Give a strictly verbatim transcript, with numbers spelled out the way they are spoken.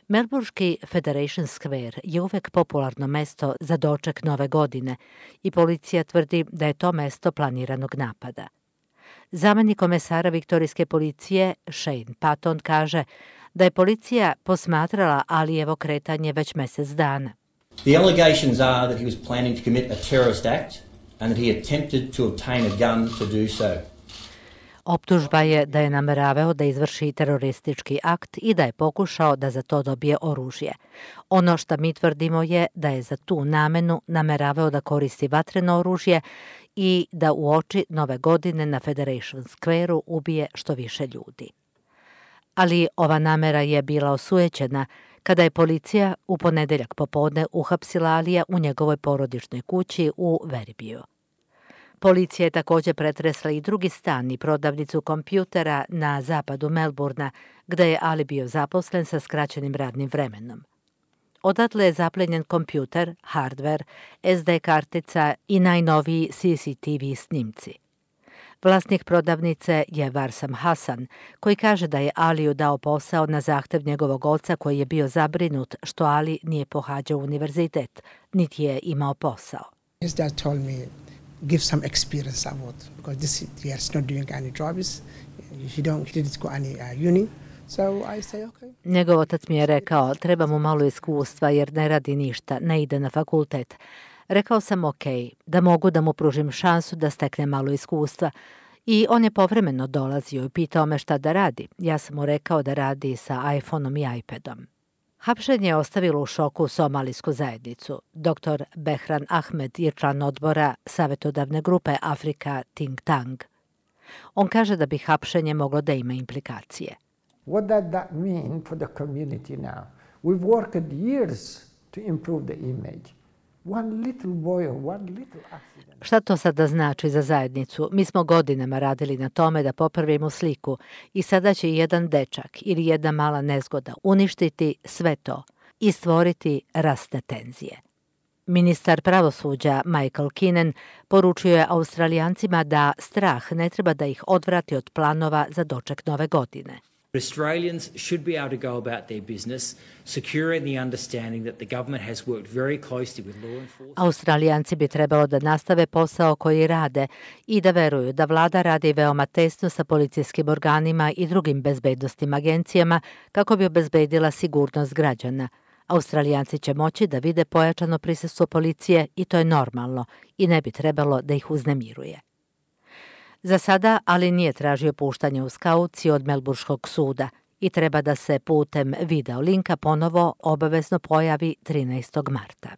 Melburški Federation Square je uvek popularno mesto za doček nove godine i policija tvrdi da je to mesto planiranog napada. Zamenik komesara viktorijske policije Shane Patton kaže da je policija posmatrala Alijevo kretanje već mesec dana. The allegations are that he was planning to commit a terrorist act and that he attempted to obtain a gun to do so. Optužba je da je nameravao da izvrši teroristički akt i da je pokušao da za to dobije oružje. Ono što mi tvrdimo je da je za tu namenu nameravao da koristi vatreno oružje i da u oči nove godine na Federation Square-u ubije što više ljudi. Ali ova namera je bila osujećena kada je policija u ponedeljak popodne uhapsila Alija u njegovoj porodičnoj kući u Veribiju. Policija je također pretresla i drugi stan i prodavnicu kompjutera na zapadu Melburna, gde je Ali bio zaposlen sa skraćenim radnim vremenom. Odatle je zaplenjen kompjuter, hardver, es de kartica i najnoviji C C T V snimci. Vlasnik prodavnice je Varsam Hasan, koji kaže da je Aliju dao posao na zahtev njegovog oca koji je bio zabrinut što Ali nije pohađao univerzitet, niti je imao posao. His dad told me, give some experience about, because this he is not doing any jobs, he don't he didn't go any uh, uni. So I say, okay. Njegov otac mi je rekao, treba mu malo iskustva jer ne radi ništa, ne ide na fakultet. Rekao sam ok, da mogu da mu pružim šansu da stekne malo iskustva. I on je povremeno dolazio i pitao me šta da radi. Ja sam mu rekao da radi sa iPhoneom i iPadom. Hapšenje je ostavilo u šoku somalijsku zajednicu. doktor Behran Ahmed je član odbora savjetodavne grupe Afrika Think Tank. On kaže da bi hapšenje moglo da ima implikacije. What does that mean for the community now? We've worked years to improve the image. One little boy or one little accident. Šta to sada znači za zajednicu? Mi smo godinama radili na tome da popravimo sliku i sada će jedan dečak ili jedna mala nezgoda uništiti sve to i stvoriti rasne tenzije. Ministar pravosuđa Michael Keenan poručio je Australijancima da strah ne treba da ih odvrati od planova za doček nove godine. Australians should be able to go about their business, secure in the understanding that the government has worked very closely with law enforcement. Australijanci bi trebalo da nastave posao koji rade i da veruju da vlada radi veoma tesno sa policijskim organima i drugim bezbednostim agencijama kako bi obezbedila sigurnost građana. Australijanci će moći da vide pojačano prisustvo policije i to je normalno i ne bi trebalo da ih uznemiruje. Za sada Ali nije tražio puštanje uz kauciju od Melburškog suda i treba da se putem video linka ponovo obavezno pojavi trinaestog marta.